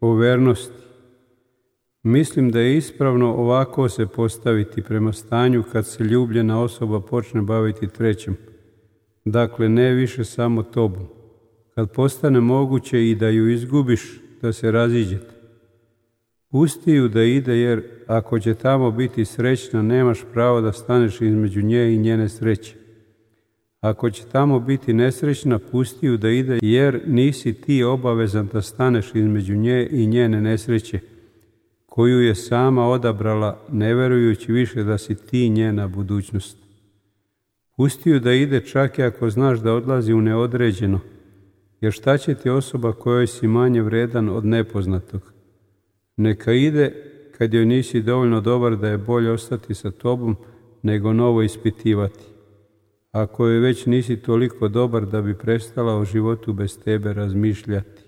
o vernosti. Mislim da je ispravno ovako se postaviti prema stanju kad se ljubljena osoba počne baviti trećim. Dakle, ne više samo tobom. Kad postane moguće i da ju izgubiš, da se raziđete. Pusti ju da ide, jer ako će tamo biti srećna, nemaš pravo da staneš između nje i njene sreće. Ako će tamo biti nesrećna, pusti ju da ide, jer nisi ti obavezan da staneš između nje i njene nesreće, koju je sama odabrala, ne verujući više da si ti njena budućnost. Pusti ju da ide čak i ako znaš da odlazi u neodređeno, jer šta će ti osoba kojoj si manje vredan od nepoznatog? Neka ide kad joj nisi dovoljno dobar da je bolje ostati sa tobom nego novo ispitivati. Ako joj već nisi toliko dobar da bi prestala o životu bez tebe razmišljati.